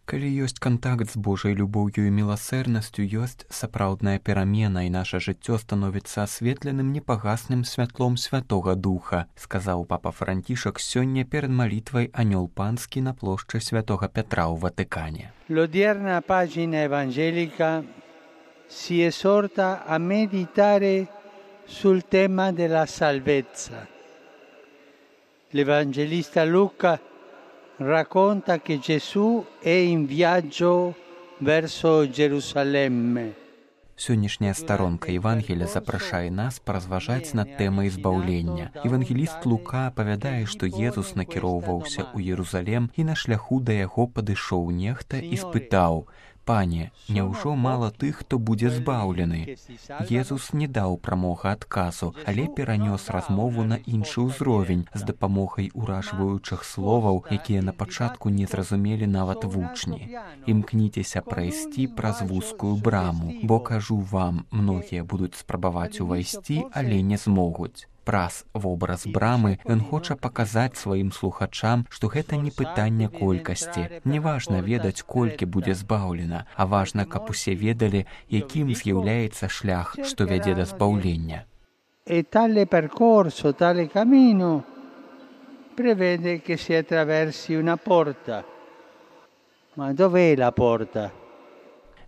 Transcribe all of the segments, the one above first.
Калі ёсць кантакт з Божай любоўю і міласэрнасцю, ёсць сапраўдная перамена, і наша жыццё становіцца асветленым непагасным святлом Святога Духа, сказаў папа Францішак сёння перад малітвай Анёл Панскі на плошчы Святога Петра ў Ватыкане. L'odierna pagina evangelica si esorta a meditare sul tema della salvezza. L'Evangelista Luca racconta che Gesù è in viaggio verso Gerusalemme. Сённяшняя старонка Евангелія запрашае нас паразважаць над тэмай збаўлення. Евангеліст Лука апавядае, што Езус накіроўваўся ў Єрусалем, і на шляху да яго падышоў нехта і спытаў: «Пане, няўжо мала тых, хто будзе збаўлены?» Езус не даў прамога адказу, але перанёс размову на іншы ўзровень з дапамогай уражваючых словаў, якія на пачатку не зразумелі нават вучні. «Імкніцеся прайсці праз вузкую браму, бо, кажу вам, многія будуць спрабаваць увайсці, але не змогуць». Праз вобраз брамы ён хоча паказаць сваім слухачам, што гэта не пытанне колькасці. Не важна ведаць, колькі будзе збаўлена, а важна, каб усе ведалі, якім з'яўляецца шлях, што вядзе да збаўлення. E tale percorso, tale cammino prevede che si attraversi una porta. Ma dov'è la porta?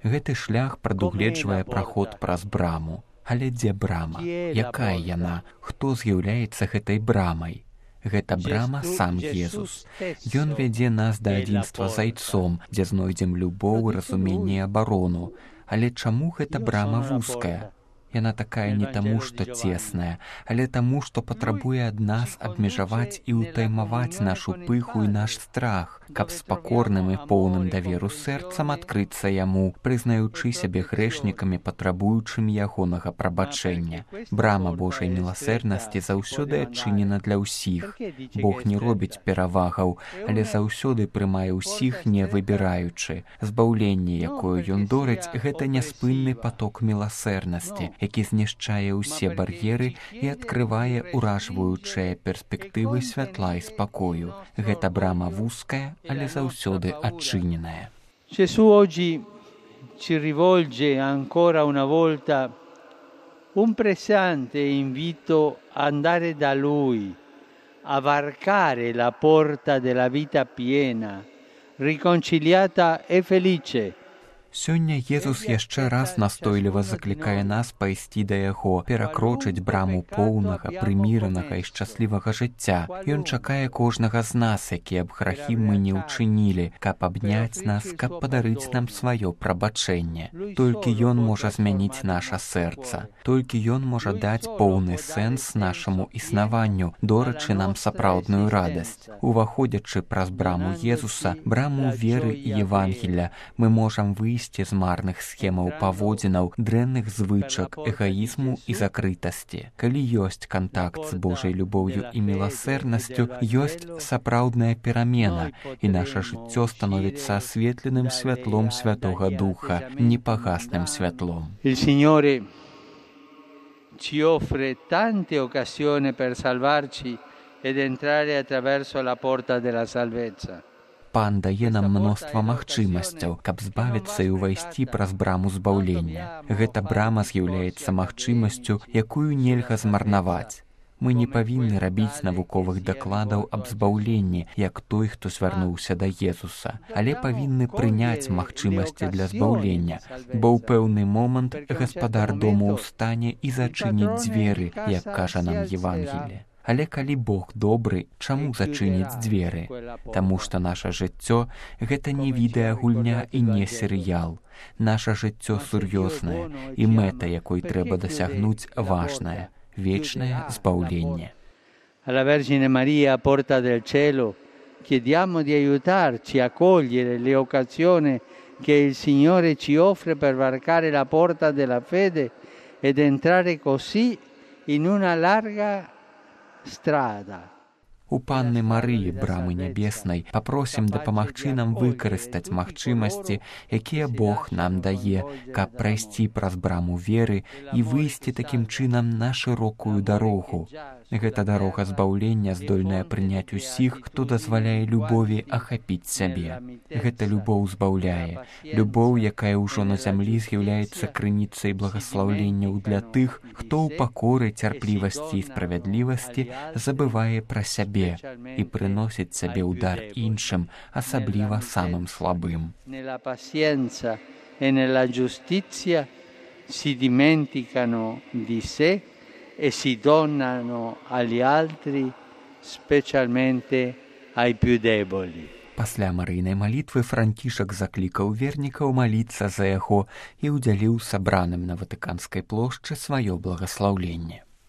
Гэты шлях прадугледжвае праход праз браму. Але дзе брама? Якая яна? Хто з'яўляецца гэтай брамай? Гэта брама сам Езус. Ён вядзе нас да адзінства з Айцом, дзе знойдзем любоў, разуменне і абарону. Але чаму гэта брама вузкая? Яна такая не таму, што цесная, але таму, што патрабуе ад нас абмежаваць і ўтаймаваць нашу пыху і наш страх, каб з пакорным і поўным даверу сэрцам адкрыцца яму, прызнаючы сябе грэшнікамі, патрабуючымі ягонага прабачэння. Брама Божай міласэрнасці заўсёды адчынена для ўсіх. Бог не робіць перавагаў, але заўсёды прымае ўсіх, не выбіраючы. Збаўленне, якое ён дорыць, гэта няспынны паток міласэрнасці, які знішчае ўсе бар'еры і адкрывае уражваючыя перспектывы святла і спакою. Гэта брама вузкая, але заўсёды адчыненая. Gesù oggi ci rivolge ancora una volta un pressante invito ad andare da Lui, a varcare la porta della vita piena, riconciliata e felice. Сёння Езус яшчэ раз настойліва заклікае нас пайсці да яго, перакрочыць браму поўнага, прыміранага і шчаслівага жыцця. Ён чакае кожнага з нас, якія б грахі мы не ўчынілі, каб абняць нас, каб падарыць нам сваё прабачэнне. Толькі ён можа змяніць наша сэрца. Толькі ён можа даць поўны сэнс нашаму існаванню, дорачы нам сапраўдную радасць. Уваходзячы праз браму Езуса, браму веры і Евангелля, мы можам выйсці з марных схемаў паводзінаў, дрэнных звычак, эгаізму і закрытасці. Калі ёсць кантакт з Божай любоўю і міласэрнасцю, ёсць сапраўдная перамена, і наша жыццё становіцца асветленым святлом Святога Духа, непагасным святлом. Il Signore ci offre tante occasioni per salvarci ed entrare attraverso la porta della salvezza. Пан дае нам мноства магчымасцяў, каб збавіцца і ўвайсці праз браму збаўлення. Гэта брама з'яўляецца магчымасцю, якую нельга змарнаваць. Мы не павінны рабіць навуковых дакладаў аб збаўленні, як той, хто звярнуўся да Езуса, але павінны прыняць магчымасці для збаўлення, бо ў пэўны момант гаспадар дому ўстане і зачыніць дзверы, як кажа нам Евангелие. Але калі Бог добры, чаму зачыніць дзверы? Таму што наша жыццё – гэта не відэагульня і не серыял. Наша жыццё сур'ёзнае, і мэта, якой трэба дасягнуць, важная – вечнае збаўленне. Alla Vergine Maria, porta del cielo, chiediamo di aiutarci a cogliere le occasioni che il Signore ci offre per varcare la porta della fede ed entrare così in una larga strada. У Панны Марыі, брамы нябеснай, папросім дапамагчы нам выкарыстаць магчымасці, якія Бог нам дае, каб прайсці праз браму веры і выйсці такім чынам на шырокую дарогу. Гэта дарога збаўлення, здольная прыняць усіх, хто дазваляе любові ахапіць сябе. Гэта любоў збаўляе, любоў, якая ўжо на зямлі з'яўляецца крыніцай благаслаўленняў для тых, хто ў пакоры, цярплівасці і справядлівасці забывае пра сябе і прыносіць сабе ўдар іншым, асабліва самым слабым. Nella pazienza e nella giustizia si dimenticano di sé e si donano agli altri, specialmente ai più deboli. Пасля Марыйнай малітвы Францішак заклікаў вернікаў маліцца за яго і ўдзяліў сабраным на Ватыканскай плошчы сваё благаслаўленне.